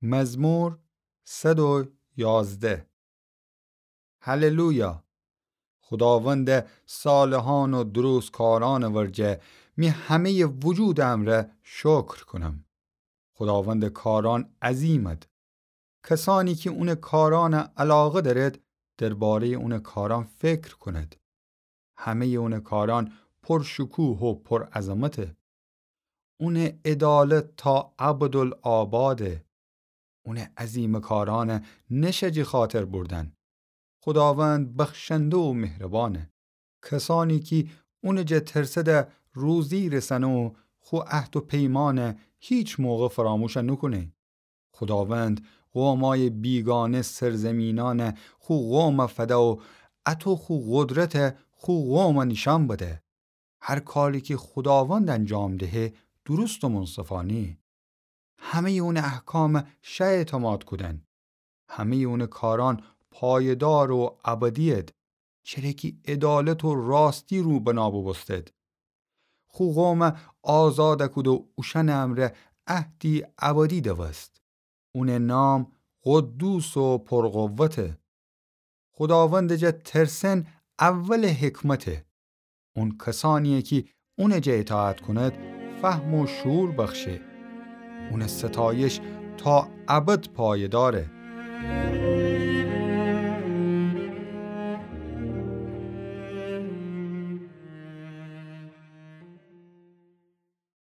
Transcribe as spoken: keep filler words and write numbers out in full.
مزمور صد و یازده. هللویا! خوداوندٚ صالحأن و درستکارأنٚ ورجه می همه‌یٚ وجودٚ امرأ شکر کونم. خوداوندٚ کارأن عظیمد. کسأنی کی اونٚ کارأنَ علاقه دأرد، درباره‌یٚ اونٚ کارأن فکر کونید. همه‌یٚ اونٚ کارأن پرشکوه و پرعظمته. اونٚ عدالت تا ابدالآباده. اونٚ عظیمٚ کارأنَ نشه جٚه خاطر بردن. خوداوند بخشنده و مهربانه. کسأنی کی اونٚ جا ترسده روزی رسنه و خو عهد و پیمأنَ هیچ موقع فراموش نوکونه. خوداوند قومأیٚ بیگانه سرزیمینأنَ خو قومَ فده و اَتو خو قدرتَ خو قومَ نیشأن بده. هر کاری کی خوداوند انجام دهه، درست و منصفانه‌یه. همه‌یٚ اونٚ احکامَ شه اعتماد کودن. همه‌یٚ اونٚ کارأن پایدار و ابدی‌ید، چره کی عدالت و راستی رو بنا بوبوستد. خو قومَ آزادَ کود و اوشأنٚ امرأ عهدی ابدی دوست. اونٚ نام قدوس و پرقوته. خوداوندٚ جا ترسن اولٚ حکمته. اون کسأنی‌یه کی اونٚ جا اطاعت کونید، فهم و شعور بخشه. اونٚ ستایش تا ابد پایداره.